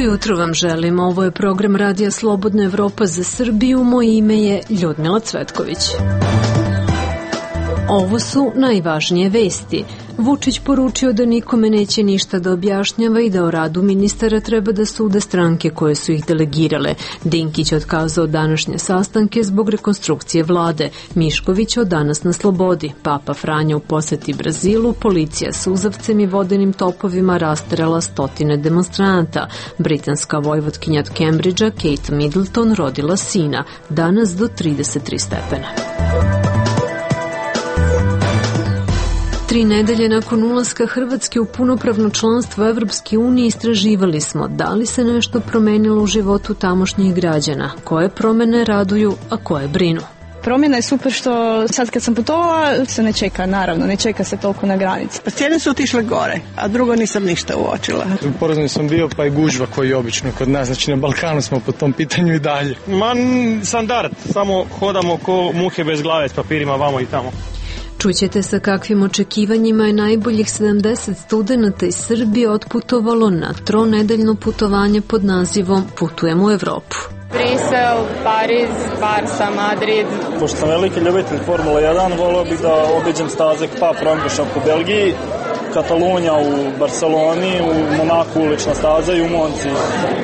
Jutro vam želim. Ovo je program Radija Slobodna Evropa za Srbiju. Moje ime je Ljudmila Cvetković. Ovo su najvažnije vesti. Vučić poručio da nikome neće ništa da objašnjava i da o radu ministara treba da sude stranke koje su ih delegirale. Dinkić otkazao današnje sastanke zbog rekonstrukcije vlade. Mišković od danas na slobodi. Papa Franja u poseti Brazilu. Policija suzavcem i vodenim topovima rasterala stotine demonstranata. Britanska vojvotkinja od Cambridgea Kate Middleton rodila sina. Danas do 33 stepena. 3 nedelje nakon ulaska Hrvatske u punopravno članstvo Evropske unije istraživali smo da li se nešto promenilo u životu tamošnjih građana, koje promene raduju, a koje brinu. Promjena je super što sad kad sam putovala se ne čeka, naravno, ne čeka se toliko na granici. Pa cijene su otišle gore, a drugo nisam ništa uočila. Porazno sam bio pa i gužva koji je obično kod nas, znači na Balkanu smo po tom pitanju i dalje. Standard, samo hodamo ko muhe bez glave s papirima vamo i tamo. Čućete sa kakvim očekivanjima je najboljih 70 studenata iz Srbije otputovalo na 3-nedeljno putovanje pod nazivom Putujem u Evropu. Brisel, Pariz, Barsa, Madrid. Pošto sam veliki ljubitelj Formula 1, volio bih da obiđem staze Spa-Francorchamps u Belgiji, Katalunja u Barceloni, u Monaku ulična staza i u Monci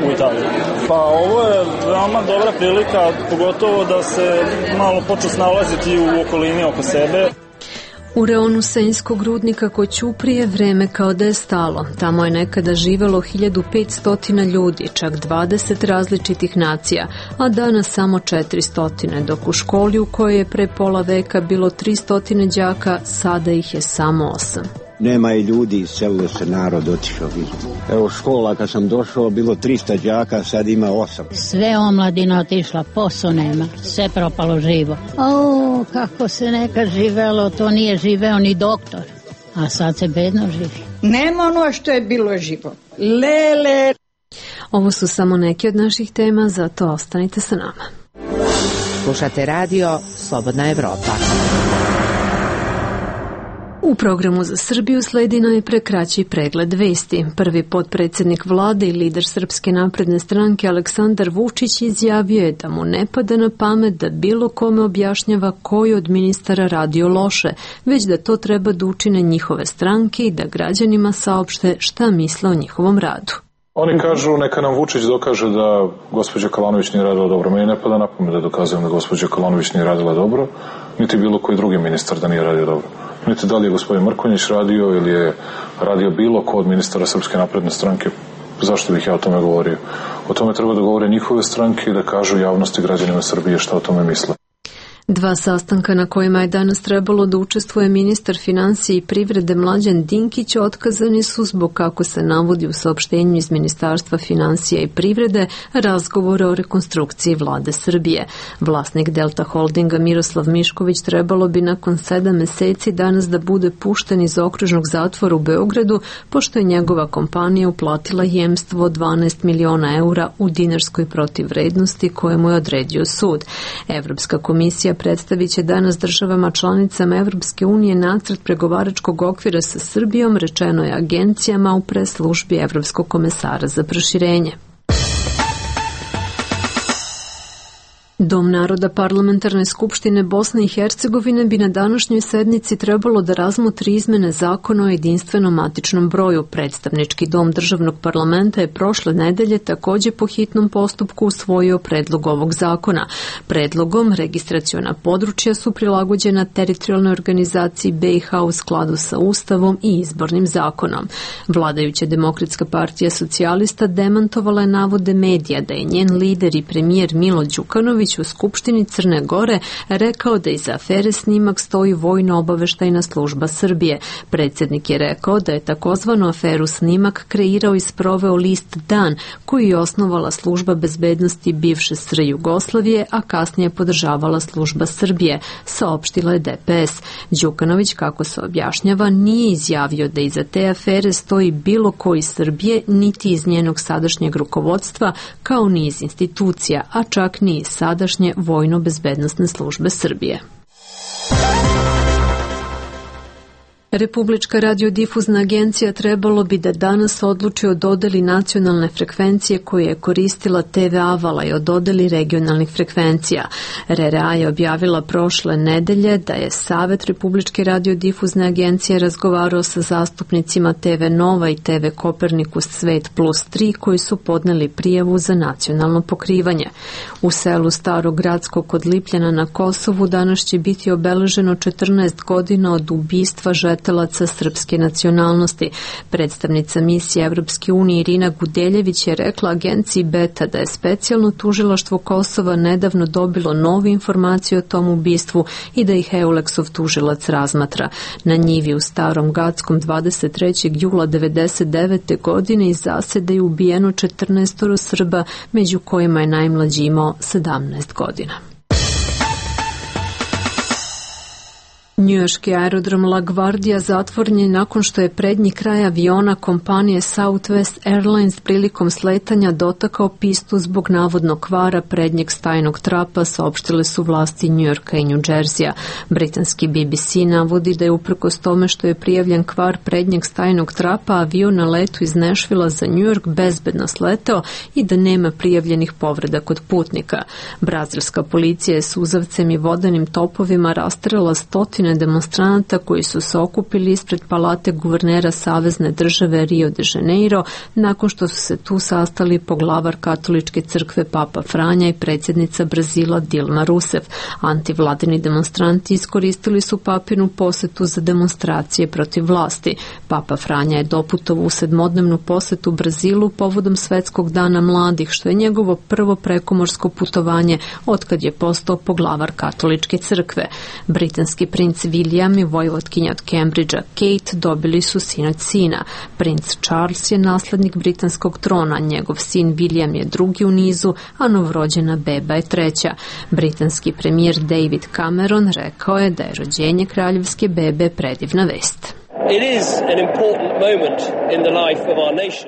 u Italiji. Pa ovo je veoma dobra prilika, pogotovo da se malo počnu snalaziti u okolini oko sebe. U reonu Senjskog rudnika kod Ćuprije vreme kao da je stalo. Tamo je nekada živelo 1500 ljudi, čak 20 različitih nacija, a danas samo 400, dok u školi u kojoj je pre pola veka bilo 300 đaka, sada ih je samo 8. Nema i ljudi, iselilo se narod, otišao. Evo škola, kad sam došao, bilo 300 đaka, sad ima 8. Sve omladina otišla, posao nema, sve propalo živo. O, kako se nekad živelo, to nije živeo ni doktor, a sad se bedno živi. Nema ono što je bilo živo. Lele. Ovo su samo neke od naših tema, zato ostanite sa nama. Slušate radio Slobodna Evropa. U programu za Srbiju sledi najpre kraći pregled vesti. Prvi potpredsjednik vlade i lider Srpske napredne stranke Aleksandar Vučić izjavio je da mu ne pada na pamet da bilo kome objašnjava koji od ministara radio loše, već da to treba da učine njihove stranke i da građanima saopšte šta misle o njihovom radu. Oni kažu neka nam Vučić dokaže da gospođa Kalanović nije radila dobro. Meni ne pada na pamet da dokazujem da gospođa Kalanović nije radila dobro, niti bilo koji drugi ministar da nije radio dobro. Niti da li je gospodin Mrkonjić radio ili je radio bilo ko od ministara Srpske napredne stranke. Zašto bih ja o tome govorio? O tome treba da govore njihove stranke i da kažu javnosti građanima Srbije šta o tome misle. 2 sastanka na kojima je danas trebalo da učestvuje ministar finansije i privrede Mlađan Dinkić otkazani su zbog, kako se navodi u saopštenju iz Ministarstva finansija i privrede, razgovora o rekonstrukciji vlade Srbije. Vlasnik Delta Holdinga Miroslav Mišković trebalo bi nakon 7 meseci danas da bude pušten iz okružnog zatvora u Beogradu, pošto je njegova kompanija uplatila jemstvo od 12 miliona eura u dinarskoj protivvrednosti koje mu je odredio sud. Evropska komisija predstavit će danas državama članicama Evropske unije nacrt pregovaračkog okvira sa Srbijom, rečeno je agencijama u press-službi Evropskog komesara za proširenje. Dom naroda Parlamentarne skupštine Bosne i Hercegovine bi na današnjoj sednici trebalo da razmotri izmene zakona o jedinstvenom matičnom broju. Predstavnički dom državnog parlamenta je prošle nedelje takođe po hitnom postupku usvojio predlog ovog zakona. Predlogom registraciona područja su prilagođena teritorijalnoj organizaciji BiH u skladu sa Ustavom i izbornim zakonom. Vladajuća Demokratska partija socijalista demantovala je navode medija da je njen lider i premijer Milo Đukanović u Skupštini Crne Gore rekao da iza afere Snimak stoji Vojno-obaveštajna služba Srbije. Predsjednik je rekao da je takozvanu aferu Snimak kreirao i sproveo list Dan, koji je osnovala služba bezbednosti bivše SR Jugoslavije, a kasnije podržavala služba Srbije, saopštila je DPS. Đukanović, kako se objašnjava, nije izjavio da iza te afere stoji bilo ko iz Srbije, niti iz njenog sadašnjeg rukovodstva, kao ni iz institucija, a čak ni iz sada tadašnje Vojno-bezbednosne službe Srbije. Republička radiodifuzna agencija trebalo bi da danas odluči o dodeli nacionalne frekvencije koje je koristila TV Avala i o dodeli regionalnih frekvencija. RRA je objavila prošle nedelje da je Savet Republičke radiodifuzne agencije razgovarao sa zastupnicima TV Nova i TV Kopernikus Svet plus 3 koji su podneli prijavu za nacionalno pokrivanje. U selu Starogradsko kod Lipljana na Kosovu danas će biti obeleženo 14 godina od ubistva žetelaca srpske nacionalnosti. Predstavnica misije Evropske unije Irina Gudeljević je rekla agenciji Beta da je specijalno tužilaštvo Kosova nedavno dobilo novu informaciju o tom ubistvu i da ih Euleksov tužilac razmatra. Na njivi u Starom Gackom 23. jula 1999. godine iz zasede je ubijeno 14 Srba, među kojima je najmlađi imao 17 godina. Njujorški aerodrom LaGuardia zatvoren je nakon što je prednji kraj aviona kompanije Southwest Airlines prilikom sletanja dotakao pistu zbog navodnog kvara prednjeg stajnog trapa, saopštile su vlasti Njujorka i Njudžerzija. Britanski BBC navodi da je uprkos tome što je prijavljen kvar prednjeg stajnog trapa, avion na letu iz Nešvila za Njujork bezbedno sleteo i da nema prijavljenih povreda kod putnika. Brazilska policija je suzavcem i vodenim topovima rasterala stotine demonstranata koji su se okupili ispred palate guvernera Savezne države Rio de Janeiro nakon što su se tu sastali poglavar katoličke crkve Papa Franja i predsjednica Brazila Dilma Rousseff. Antivladini demonstranti iskoristili su papinu posetu za demonstracije protiv vlasti. Papa Franja je doputovao u 7-dnevnu posetu Brazilu povodom Svetskog dana mladih, što je njegovo prvo prekomorsko putovanje otkad je postao poglavar katoličke crkve. Britanski princ William i vojvotkinja od Cambridgea Kate dobili su sinoć sina. Princ Charles je naslednik britanskog trona, njegov sin William je drugi u nizu, a novorođena beba je treća. Britanski premijer David Cameron rekao je da je rođenje kraljevske bebe predivna vest.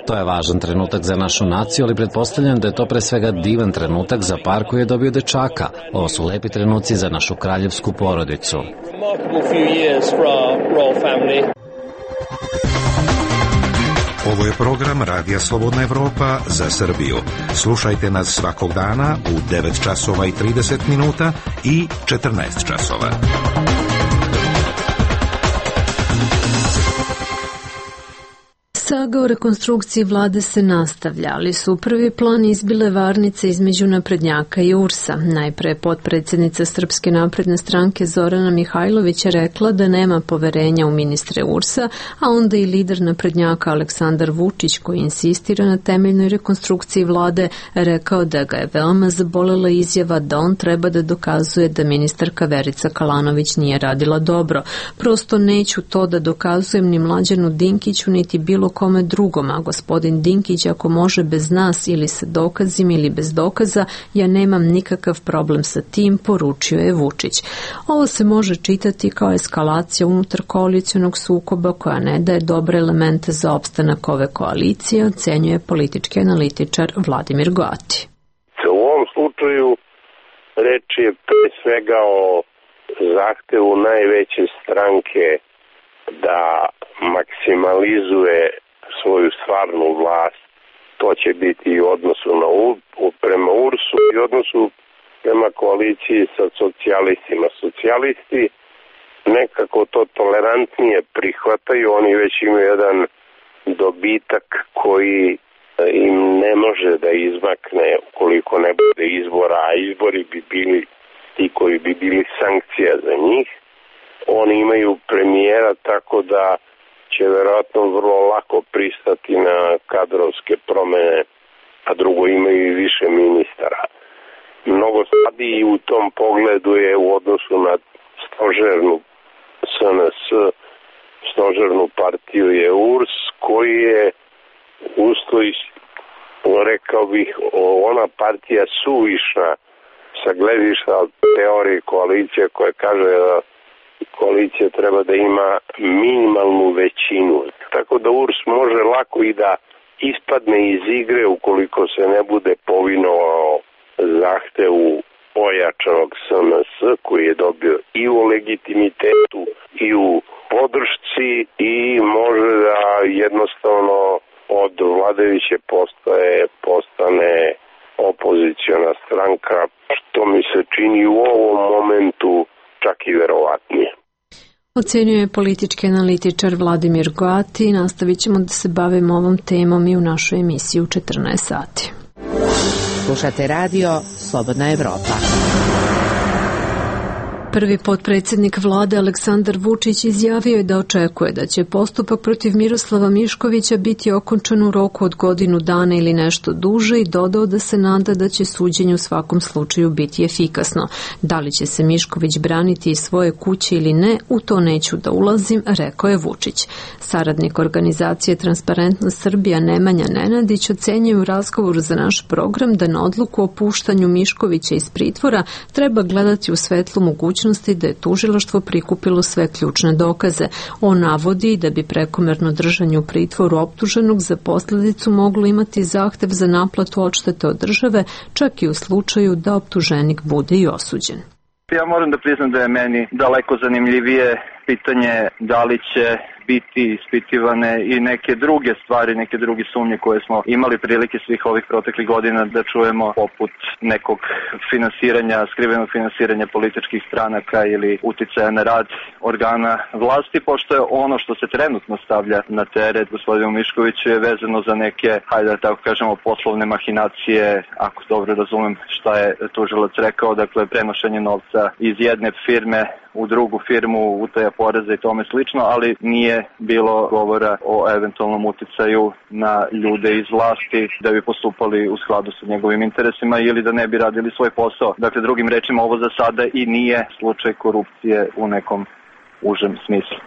To je važan trenutak za našu naciju, ali pretpostavljam da je to pre svega divan trenutak za par koji je dobio dečaka. Ovo su lepi trenuci za našu kraljevsku porodicu. Ovo je program Radija Slobodna Evropa za Srbiju. Slušajte nas svakog dana u 9 časova i 30 minuta i 14 časova. Saga o rekonstrukciji vlade se nastavlja, ali su u prvi plan izbile varnice između naprednjaka i URS-a. Najpre potpredsjednica Srpske napredne stranke Zorana Mihajlović je rekla da nema poverenja u ministre URS-a, a onda i lider naprednjaka Aleksandar Vučić, koji insistira na temeljnoj rekonstrukciji vlade, rekao da ga je veoma zabolela izjava da on treba da dokazuje da ministarka Verica Kalanović nije radila dobro. Prosto neću to da dokazujem ni Mlađanu Dinkiću, niti bilo kome drugom, a gospodin Dinkić ako može bez nas ili sa dokazima ili bez dokaza, ja nemam nikakav problem sa tim, poručio je Vučić. Ovo se može čitati kao eskalacija unutar koalicijonog sukoba koja ne daje dobre elemente za opstanak ove koalicije, ocenjuje politički analitičar Vladimir Goati. U ovom slučaju reč je pre svega o zahtevu najveće stranke da maksimalizuje svoju stvarnu vlast. To će biti i u odnosu prema URS-u i odnosu prema koaliciji sa socijalistima. Socijalisti nekako to tolerantnije prihvataju, oni već imaju jedan dobitak koji im ne može da izmakne ukoliko ne bude izbora, a izbori bi bili ti koji bi bili sankcija za njih. Oni imaju premijera, tako da će verovatno vrlo lako pristati na kadrovske promene, a drugo imaju i više ministara. Mnogo slabiji u tom pogledu je u odnosu na stožernu SNS, stožernu partiju je URS, koji je usto, rekao bih, ona partija suvišna sa gledišta teorije koalicije koja kaže da koalicija treba da ima minimalnu većinu. Tako da URS može lako i da ispadne iz igre ukoliko se ne bude povinovao zahtevu ojačanog SNS koji je dobio i u legitimitetu i u podršci i može da jednostavno od vladajuće postane opoziciona stranka, što mi se čini u ovom momentu čak i verovatnije. Ocenjuje politički analitičar Vladimir Goati. Nastavit ćemo da se bavimo ovom temom i u našoj emisiji u 14 sati. Slušate radio Slobodna Evropa. Prvi potpredsjednik vlade Aleksandar Vučić izjavio je da očekuje da će postupak protiv Miroslava Miškovića biti okončan u roku od godinu dana ili nešto duže i dodao da se nada da će suđenje u svakom slučaju biti efikasno. Da li će se Mišković braniti iz svoje kuće ili ne, u to neću da ulazim, rekao je Vučić. Saradnik organizacije Transparentnost Srbija Nemanja Nenadić ocenjuje u razgovoru za naš program da na odluku o puštanju Miškovića iz pritvora treba gledati u svetlu mogućnosti da je tužilaštvo prikupilo sve ključne dokaze. On navodi da bi prekomerno držanje u pritvoru optuženog za posljedicu moglo imati zahtev za naplatu odštete od države, čak i u slučaju da optuženik bude i osuđen. Ja moram da priznam da je meni daleko zanimljivije pitanje da li će biti ispitivane i neke druge stvari, neke druge sumnje koje smo imali prilike svih ovih proteklih godina da čujemo, poput nekog finansiranja, skrivenog finansiranja političkih stranaka ili uticaja na rad organa vlasti, pošto je ono što se trenutno stavlja na teret gospodinu Miškoviću je vezano za neke, hajde da tako kažemo, poslovne mahinacije, ako dobro razumem šta je tužilac rekao, dakle prenošenje novca iz jedne firme u drugu firmu, utaja poreza i tome slično, ali nije bilo govora o eventualnom uticaju na ljude iz vlasti da bi postupali u skladu sa njegovim interesima ili da ne bi radili svoj posao. Dakle, drugim rečima, ovo za sada i nije slučaj korupcije u nekom užem smislu.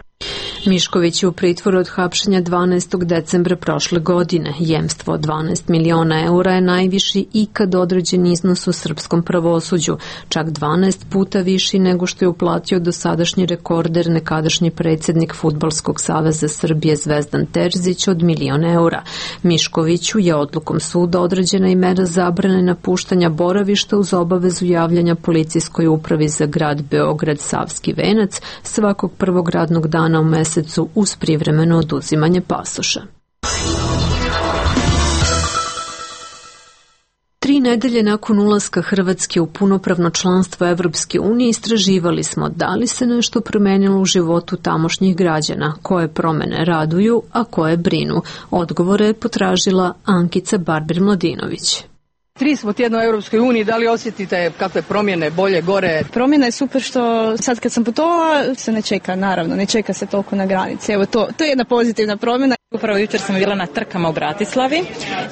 Mišković je u pritvoru od hapšenja 12. decembra prošle godine. Jemstvo od 12 miliona eura je najviši ikad određen iznos u srpskom pravosuđu, čak 12 puta viši nego što je uplatio dosadašnji rekorder nekadašnji predsjednik Fudbalskog saveza Srbije Zvezdan Terzić od 1.000.000 eura. Miškoviću je odlukom suda određena i mera zabrane napuštanja boravišta uz obavezu javljanja policijskoj upravi za grad Beograd Savski venac svakog prvog radnog dana u mesecu uz privremeno oduzimanje pasoša. 3 nedelje nakon ulaska Hrvatske u punopravno članstvo Evropske unije istraživali smo da li se nešto promenilo u životu tamošnjih građana, koje promene raduju, a koje brinu. Odgovore je potražila Ankica Barber-Mladinović. 3 smo tjedna u Europskoj uniji, da li osjetite kakve promjene, bolje, gore? Promjena je super što sad kad sam putovala se ne čeka, naravno, ne čeka se toliko na granici. Evo to je jedna pozitivna promjena. Upravo jučer sam bila na trkama u Bratislavi.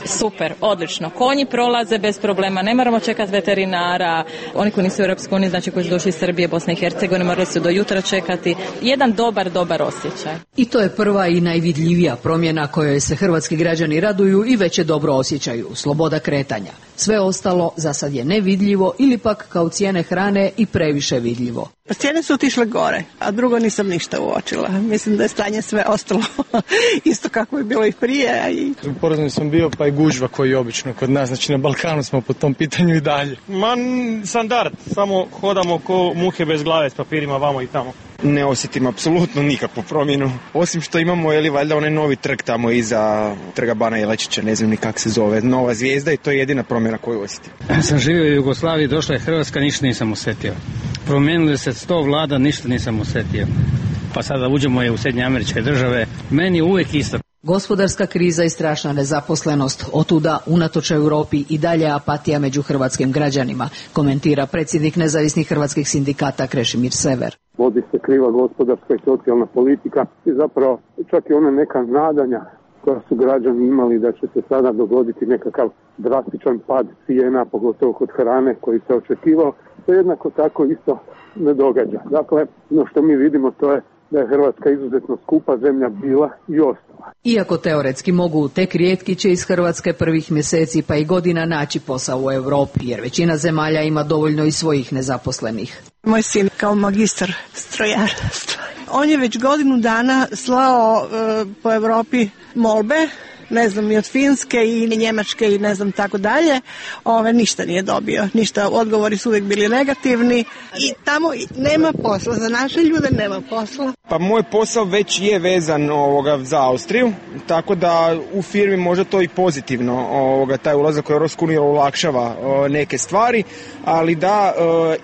Super, odlično. Konji prolaze bez problema, ne moramo čekati veterinara. Oni koji nisu u Europskoj uniji, znači koji su došli iz Srbije, Bosne i Hercegovine, morali su do jutra čekati. Jedan dobar osjećaj. I to je prva i najvidljivija promjena kojoj se hrvatski građani raduju i već je dobro osjećaju. Sloboda kretanja. Sve ostalo za sad je nevidljivo ili pak kao cijene hrane i previše vidljivo. Cijene su otišle gore, a drugo nisam ništa uočila. Mislim da je stanje sve ostalo isto kako je bilo i prije. U Poreznoj sam bio, pa i gužva koji je obično kod nas, znači na Balkanu smo po tom pitanju i dalje. Standard, samo hodamo ko muhe bez glave s papirima vamo i tamo. Ne osjetim apsolutno nikakvu promjenu, osim što imamo valjda onaj novi trg tamo iza trga Bana Jelačića, ne znam ni kako se zove, Nova Zvijezda, i to je jedina promjena koju osjetim. Sam živio u Jugoslaviji, došla je Hrvatska, ništa nisam osjetio. Promijenili se 100 vlada, ništa nisam osjetio. Pa sada uđemo u Sjedinje Američke Države, meni je uvijek isto. Gospodarska kriza i strašna nezaposlenost, otuda unatoč Europi i dalje apatija među hrvatskim građanima, komentira predsjednik nezavisnih hrvatskih sindikata Krešimir Sever. Vodi se kriva gospodarska i socijalna politika i zapravo čak i ona neka nadanja koja su građani imali da će se sada dogoditi nekakav drastičan pad cijena, pogotovo kod hrane koji se očekivao, to jednako tako isto ne događa. Dakle, ono što mi vidimo to je da je Hrvatska izuzetno skupa zemlja bila i ostala. Iako teoretski mogu, tek rijetki će iz Hrvatske prvih mjeseci pa i godina naći posao u Europi, jer većina zemalja ima dovoljno i svojih nezaposlenih. Moj sin kao magistar strojarstva. On je već godinu dana slao po Europi molbe ne znam, i od Finske i Njemačke i ne znam tako dalje, ništa nije dobio. Ništa, odgovori su uvijek bili negativni i tamo nema posla. Za naše ljude nema posla. Pa moj posao već je vezan za Austriju, tako da u firmi možda to i pozitivno taj ulazak u Europsku uniju olakšava neke stvari, ali da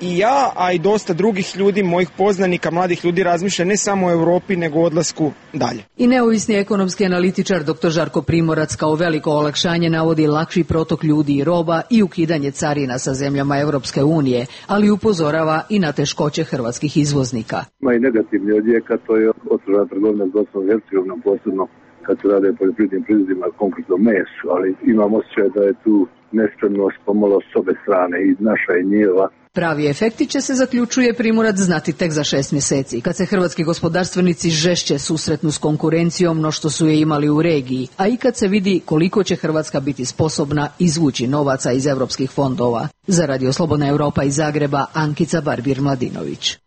i ja, a i dosta drugih ljudi, mojih poznanika, mladih ljudi razmišlja ne samo o Europi, nego o odlasku dalje. I neovisni ekonomski analitičar dr. Žarko Primorac kao veliko olakšanje navodi lakši protok ljudi i roba i ukidanje carina sa zemljama Europske unije, ali upozorava i na teškoće hrvatskih izvoznika. Ima i negativni odjek, a to je otežana trgovina s Bosnom i Hercegovinom, posebno kad se rade o poljoprivrednim proizvodima, konkretno mesu, ali imam osjećaj da je tu nespremnost pomalo s obe strane, i naša i njihova. Pravi efekti će se, zaključuje Primorac, znati tek za 6 mjeseci, kad se hrvatski gospodarstvenici žešće susretnu s konkurencijom no što su je imali u regiji, a i kad se vidi koliko će Hrvatska biti sposobna izvući novaca iz europskih fondova. Za Radio Slobodna Europa iz Zagreba, Ankica Barbir-Mladinović.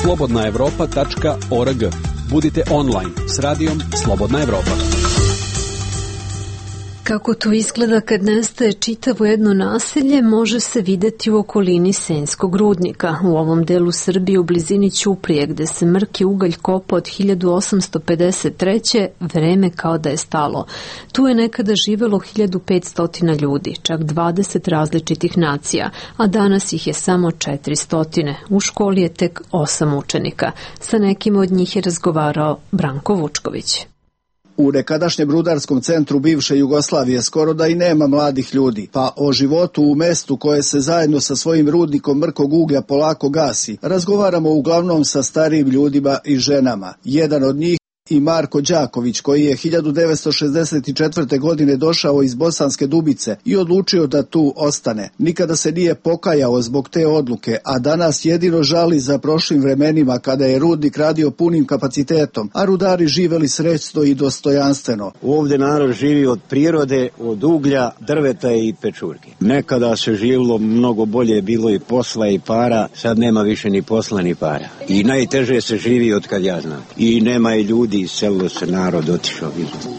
slobodnaevropa.org. Budite online s radijom Slobodna Evropa. Kako to izgleda kad nestaje čitavo jedno naselje, može se vidjeti u okolini Senjskog rudnika. U ovom delu Srbije, u blizini Ćuprije, gde se mrki ugalj kopa od 1853. vreme kao da je stalo. Tu je nekada živelo 1500 ljudi, čak 20 različitih nacija, a danas ih je samo 400. U školi je tek 8 učenika. Sa nekim od njih je razgovarao Branko Vučković. U nekadašnjem rudarskom centru bivše Jugoslavije skoro da i nema mladih ljudi, pa o životu u mestu koje se zajedno sa svojim rudnikom mrkog uglja polako gasi, razgovaramo uglavnom sa starijim ljudima i ženama. Jedan od njih i Marko Đaković, koji je 1964. godine došao iz Bosanske Dubice i odlučio da tu ostane. Nikada se nije pokajao zbog te odluke, a danas jedino žali za prošlim vremenima kada je rudnik radio punim kapacitetom, a rudari živeli srećno i dostojanstveno. Ovdje narod živi od prirode, od uglja, drveta i pečurke. Nekada se živilo mnogo bolje, bilo i posla i para, sad nema više ni posla ni para. I najteže se živi od kad ja znam. I nema i ljudi, iselilo se narod, otišao.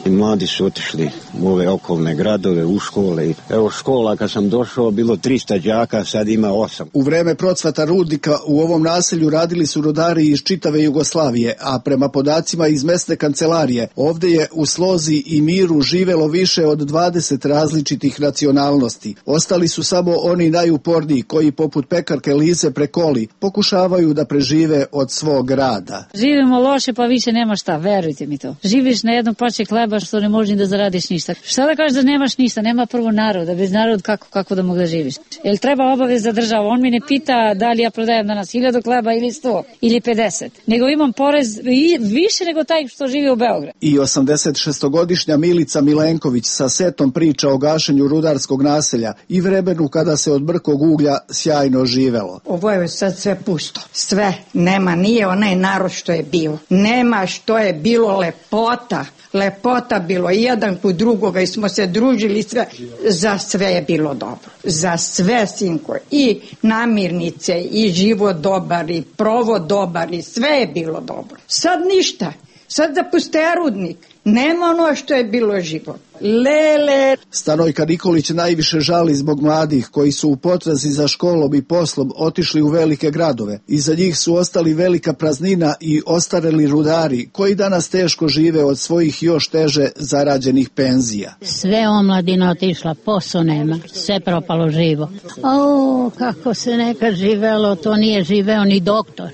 I mladi su otišli u ove okolne gradove, u škole. Evo škola kad sam došao bilo 300 đaka, sad ima 8. U vreme procvata rudnika u ovom naselju radili su rudari iz čitave Jugoslavije, a prema podacima iz mesne kancelarije ovdje je u slozi i miru živelo više od 20 različitih nacionalnosti. Ostali su samo oni najuporniji koji poput pekarke Lize Prekoli pokušavaju da prežive od svog rada. Živimo loše pa više nema šta, verujte mi to. Živiš na jednom pače hleba što ne možeš da zaradiš ništa. Šta da kažeš da nemaš ništa, nema prvo naroda, bez naroda kako da mogu da živiš. Jel treba obaveza država? On mi ne pita da li ja prodajem danas 1000 hleba ili 100 ili 50, nego imam porez više nego taj što živi u Beogradu. I 86-godišnja Milica Milenković sa setom priča o gašenju rudarskog naselja i vremenu kada se od mrkog uglja sjajno živelo. Ovo je sad sve pusto. Sve. Nema, nije onaj narod što je bio. Nema što je bilo lepota. Lepota bilo jedan kod drugoga i smo se družili sve. Za sve je bilo dobro. Za sve, sinko. I namirnice, i život dobar, i provod dobar, i sve je bilo dobro. Sad ništa. Sad zapuste rudnik. Nema ono što je bilo život. Lele. Stanojka Nikolić najviše žali zbog mladih koji su u potrazi za školom i poslom otišli u velike gradove. Iza njih su ostali velika praznina i ostareli rudari koji danas teško žive od svojih još teže zarađenih penzija. Sve omladina otišla, posao nema, sve propalo živo. O, kako se nekad živelo, to nije živeo ni doktor,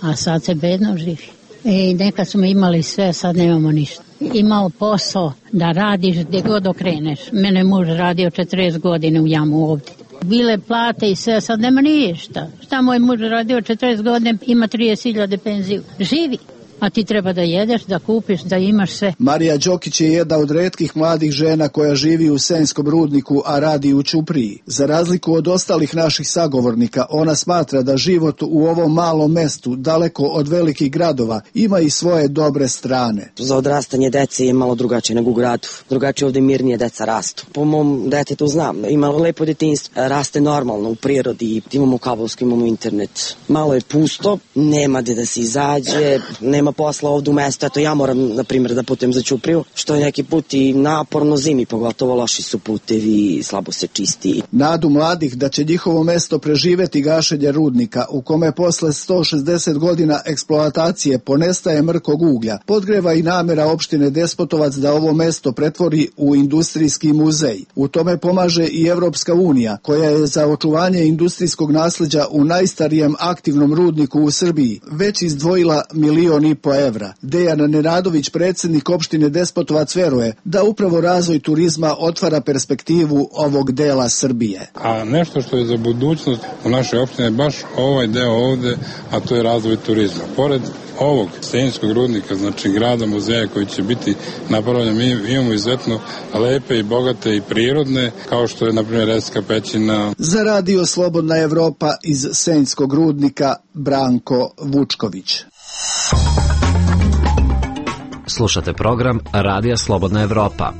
a sad se bedno živi. I nekad smo imali sve, sad nemamo ništa. Imao posao da radiš gdje god okreneš. Mene muž radio 40 godina u jamu ovdje. Bile plate i sve, sad nema ništa. Šta moj muž radio 40 godina, ima 30.000 penziju. Živi. A ti treba da jedeš, da kupiš, da imaš sve. Marija Đokić je jedna od retkih mladih žena koja živi u Senjskom rudniku, a radi u Ćupriji. Za razliku od ostalih naših sagovornika, ona smatra da život u ovom malom mestu, daleko od velikih gradova, ima i svoje dobre strane. Za odrastanje dece je malo drugačije nego u gradu. Drugačije ovdje mirnije deca rastu. Po mom detetu znam, ima lepo detinjstvo, raste normalno u prirodi, imamo kablovski, imamo internet. Malo je pusto, nema gde da se izađe, nema nema posla ovde u mestu, eto ja moram, na primjer, da putujem za Ćupriju, što je neki put i naporno zimi, pogotovo loši su putevi, slabo se čisti. Nadu mladih da će njihovo mesto preživeti gašenje rudnika, u kome posle 160 godina eksploatacije ponestaje mrkog uglja, podgreva i namera opštine Despotovac da ovo mesto pretvori u industrijski muzej. U tome pomaže i Evropska unija, koja je za očuvanje industrijskog nasleđa u najstarijem aktivnom rudniku u Srbiji već izdvojila 1,5 miliona evra. Dejan Nenadović, predsjednik opštine Despotovac, veruje da upravo razvoj turizma otvara perspektivu ovog dela Srbije. A nešto što je za budućnost u našoj opštini je baš ovaj deo ovde, a to je razvoj turizma. Pored ovog Senjskog rudnika, znači grada muzeja koji će biti napravljen, mi imamo izuzetno lepe i bogate i prirodne, kao što je na primjer Reska pećina. Za Radio Slobodna Evropa iz Senjskog rudnika, Branko Vučković. Slušate program Radija Slobodna Evropa.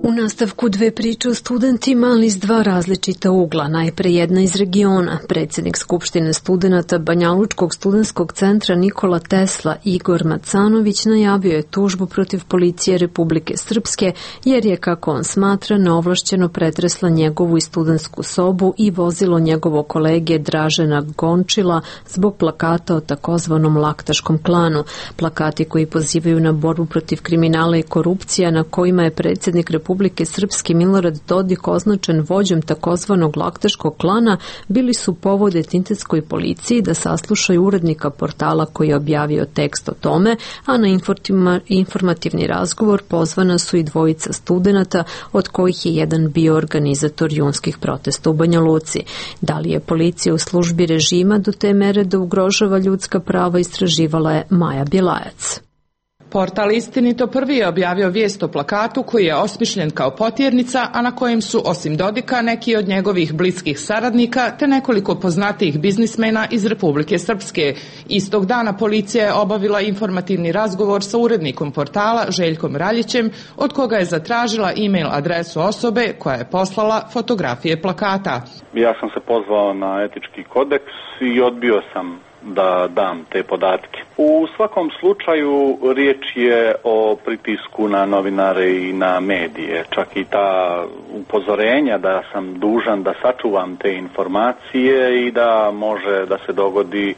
U nastavku dve priče o studentima, ali iz dva različita ugla. Najpre jedna iz regiona. Predsjednik Skupštine studenata Banjalučkog studentskog centra Nikola Tesla, Igor Macanović, najavio je tužbu protiv policije Republike Srpske, jer je, kako on smatra, neovlašćeno pretresla njegovu i studentsku sobu i vozilo njegovog kolege Dražena Gončila zbog plakata o takozvanom laktaškom klanu. Plakati koji pozivaju na borbu protiv kriminala i korupcija, na kojima je predsjednik Republike Srpske Milorad Dodik označen vođom takozvanog laktaškog klana, bili su povod etintetskoj policiji da saslušaju urednika portala koji je objavio tekst o tome, a na informativni razgovor pozvana su i dvojica studenata, od kojih je jedan bio organizator junskih protesta u Banja Luci. Da li je policija u službi režima do te mere da ugrožava ljudska prava, istraživala je Maja Bjelajac. Portal Istinito prvi je objavio vijest o plakatu koji je osmišljen kao potjernica, a na kojem su osim Dodika neki od njegovih bliskih saradnika te nekoliko poznatijih biznismena iz Republike Srpske. Istog dana policija je obavila informativni razgovor sa urednikom portala Željkom Raljićem, od koga je zatražila e-mail adresu osobe koja je poslala fotografije plakata. Ja sam se pozvao na etički kodeks i odbio sam da dam te podatke. U svakom slučaju riječ je o pritisku na novinare i na medije. Čak i ta upozorenja da sam dužan da sačuvam te informacije i da može da se dogodi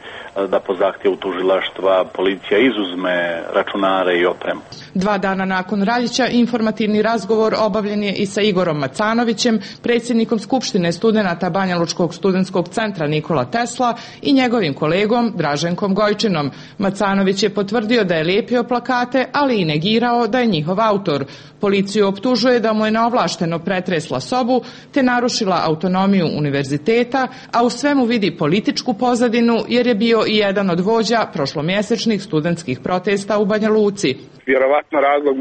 da po zahtjevu tužilaštva policija izuzme računare i opremu. 2 dana nakon Raljića informativni razgovor obavljen je i sa Igorom Macanovićem, predsjednikom Skupštine studenata Banjalučkog studentskog centra Nikola Tesla i njegovim kolegom Draženkom Gojčinom. Macanović je potvrdio da je lijepio plakate, ali i negirao da je njihov autor. Policiju optužuje da mu je neovlašteno pretresla sobu te narušila autonomiju univerziteta, a u svemu vidi političku pozadinu jer je bio i jedan od vođa prošlomjesečnih studentskih protesta u Banja Luci. Vjerovatno razlog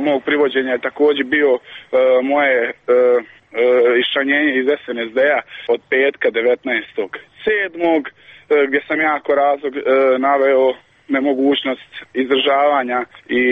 mog privođenja je također bio moje iščlanjenje iz SNSD-a od petka 19.7. gdje sam jako razlog naveo nemogućnost izdržavanja i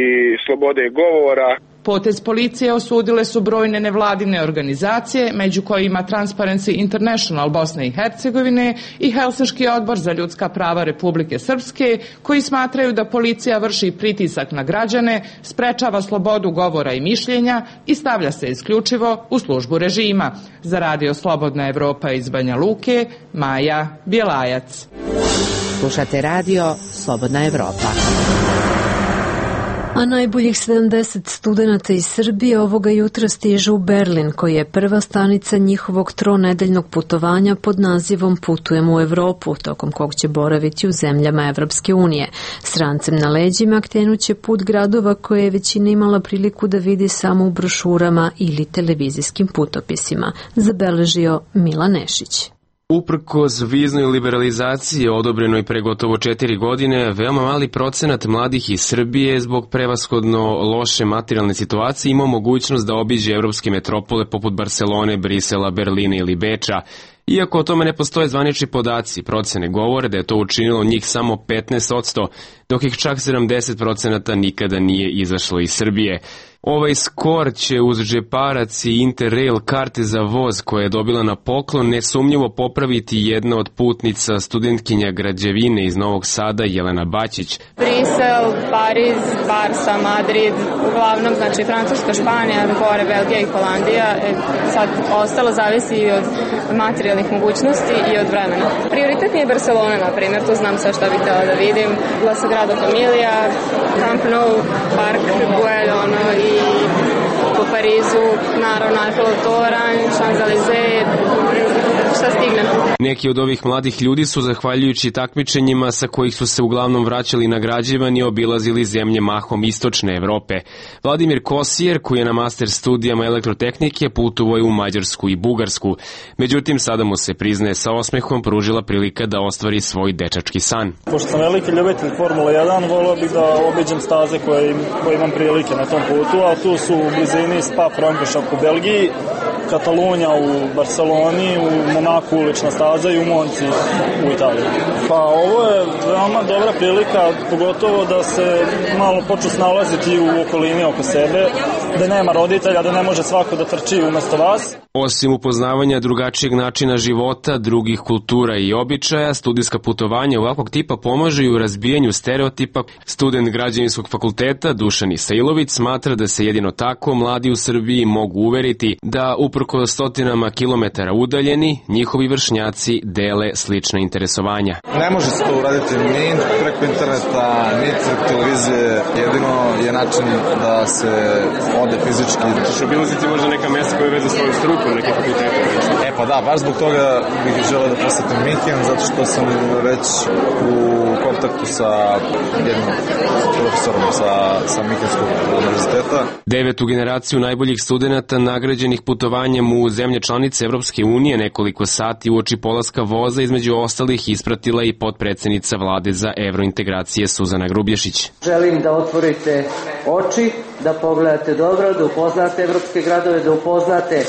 slobode govora. Potez policije osudile su brojne nevladine organizacije, među kojima Transparency International Bosne i Hercegovine i Helsinški odbor za ljudska prava Republike Srpske, koji smatraju da policija vrši pritisak na građane, sprečava slobodu govora i mišljenja i stavlja se isključivo u službu režima. Za Radio Slobodna Evropa iz Banja Luke, Maja Bjelajac. Slušate Radio Slobodna Evropa. A najboljih 70 studenata iz Srbije ovoga jutra stiže u Berlin, koji je prva stanica njihovog tronedeljnog putovanja pod nazivom Putujemo u Evropu, tokom kog će boraviti u zemljama Evropske unije. S rancem na leđima krenuće put gradova koje je većina imala priliku da vidi samo u brošurama ili televizijskim putopisima, zabeležio Milan Nešić. Uprkos viznoj liberalizaciji odobrenoj pre gotovo 4 godine, veoma mali procenat mladih iz Srbije zbog prevashodno loše materijalne situacije imao mogućnost da obiđe evropske metropole poput Barcelone, Brisela, Berlina ili Beča. Iako o tome ne postoje zvanični podaci, procene govore da je to učinilo njih samo 15%. dok ih čak 70% nikada nije izašlo iz Srbije. Ovaj skor će uz džeparac i Interrail karte za voz koje je dobila na poklon nesumnjivo popraviti jedna od putnica, studentkinja građevine iz Novog Sada, Jelena Baćić. Brisel, Pariz, Barsa, Madrid, uglavnom znači Francuska, Španija, gore Belgija i Holandija. Sad ostalo zavisi od materijalnih mogućnosti i od vremena. Prioritet mi je Barcelona, na primjer, tu znam sve što bih htjela da vidim. La Sagrada Familia, Camp Nou, Park Güell, i po Parizu, naravno Eiffelov toranj, Champs-Élysées, šta stignem. Neki od ovih mladih ljudi su, zahvaljujući takmičenjima sa kojih su se uglavnom vraćali nagrađivani, obilazili zemlje mahom istočne Evrope. Vladimir Kosijer, koji je na master studijama elektrotehnike, putovao je u Mađarsku i Bugarsku. Međutim, sada mu se, priznaje sa osmehom, pružila prilika da ostvari svoj dečački san. Pošto sam veliki ljubitelj Formula 1, volio bih da obiđem staze koje imam prilike na tom putu, a tu su u blizini Spa-Francorchamps u Belgiji, Katalunja u Barceloni, u Monaku ulična staza i u Monci u Italiji. Pa ovo je veoma dobra prilika, pogotovo da se malo počnu snalaziti u okolini oko sebe, da nema roditelja, da ne može svako da trči umesto vas. Osim upoznavanja drugačijeg načina života, drugih kultura i običaja, studijska putovanja ovakvog tipa pomažu i u razbijanju stereotipa. Student Građevinskog fakulteta Dušan Isailović smatra da se jedino tako mladi u Srbiji mogu uveriti da uprkos stotinama kilometara udaljeni, njihovi vršnjaci dele slična interesovanja. Ne može se to uraditi ni preko interneta, ni preko televizije. Jedino je način da se ode fizički. Ćeš obilaziti možda neka mesta koja veze svoju struku, neke fakultete? Pa da, baš zbog toga bih želeo da posetim Minhen, zato što sam već u kontaktu sa jednim profesorom sa Minhenskog univerziteta. 9. generaciju najboljih studenta nagrađenih putovanjem u zemlje članice Evropske unije nekoliko sati uoči polaska voza između ostalih ispratila i potpredsednica vlade za evrointegracije Suzana Grubješić. Želim da otvorite oči, da pogledate dobro, da upoznate evropske gradove, da upoznate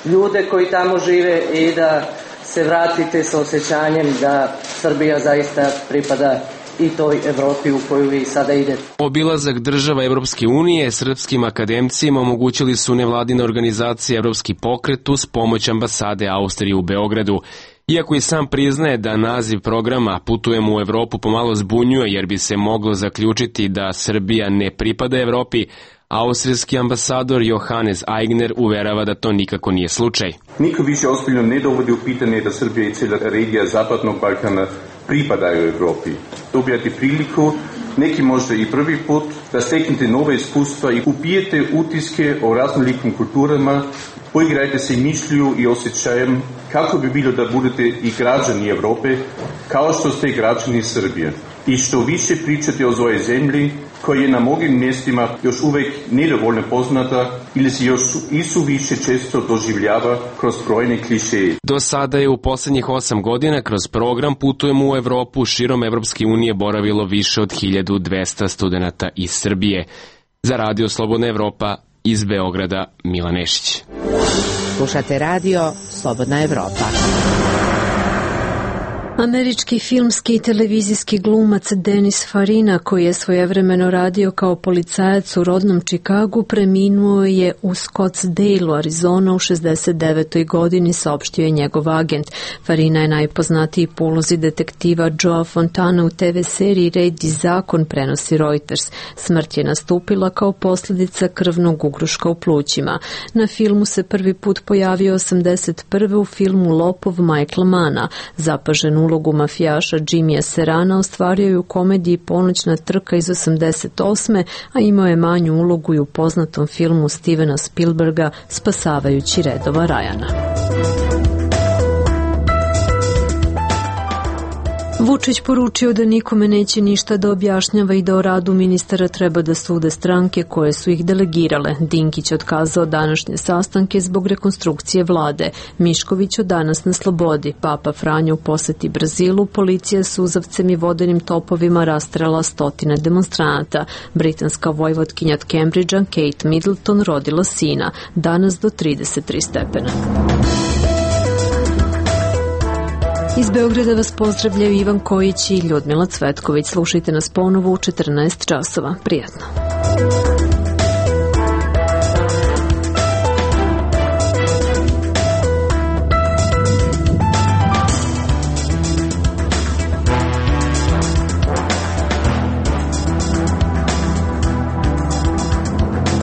ljude koji tamo žive i da se vratite sa osjećanjem da Srbija zaista pripada i toj Evropi u koju vi sada idete. Obilazak država Evropske unije srpskim akademcima omogućili su nevladine organizacije Evropski pokret uz pomoć ambasade Austrije u Beogradu. Iako i sam priznaje da naziv programa Putujemo u Evropu pomalo zbunjuje jer bi se moglo zaključiti da Srbija ne pripada Evropi, austrijski ambasador Johannes Aigner uverava da to nikako nije slučaj. Niko više ozbiljno ne dovodi u pitanje da Srbija i cijela regija Zapadnog Balkana pripadaju Evropi. Dobijate priliku, neki možda i prvi put, da steknete nove iskustva i upijete utiske o raznolikim kulturama, poigrajte se mišlju i osjećajem kako bi bilo da budete i građani Evrope, kao što ste građani Srbije. I što više pričate o svojoj zemlji, koja je na mnogim mjestima još uvek nedovoljno poznata ili se još isuviše često doživljava kroz brojne klišeje. Do sada je u poslednjih 8 godina kroz program Putujemo u Evropu širom Evropske unije boravilo više od 1200 studenata iz Srbije. Za Radio Slobodna Evropa iz Beograda, Milan Nešić. Slušate Radio Slobodna Evropa. Američki filmski i televizijski glumac Dennis Farina, koji je svojevremeno radio kao policajac u rodnom Čikagu, preminuo je u Scottsdale, Arizona u 69. godini, saopštio je njegov agent. Farina je najpoznatiji po ulozi detektiva Joea Fontana u TV seriji Red i zakon, prenosi Reuters. Smrt je nastupila kao posljedica krvnog ugruška u plućima. Na filmu se prvi put pojavio 81. u filmu Lopov Michaela Manna. Zapažen ulogu mafijaša Jimmya Serrana ostvario je u komediji Ponoćna trka iz 88. a imao je manju ulogu i u poznatom filmu Stevena Spielberga Spasavajući redova Ryana. Vučić poručio da nikome neće ništa da objašnjava i da o radu ministara treba da sude stranke koje su ih delegirale. Dinkić otkazao današnje sastanke zbog rekonstrukcije vlade. Mišković od danas na slobodi. Papa Franjo u poseti Brazilu. Policija suzavcem i vodenim topovima rastrela stotine demonstranata. Britanska vojvotkinja od Cambridgea Kate Middleton rodila sina. Danas do 33 stepena. Iz Beograda vas pozdravljaju Ivan Kojić i Ljudmila Cvetković. Slušajte nas ponovo u 14 časova. Prijatno.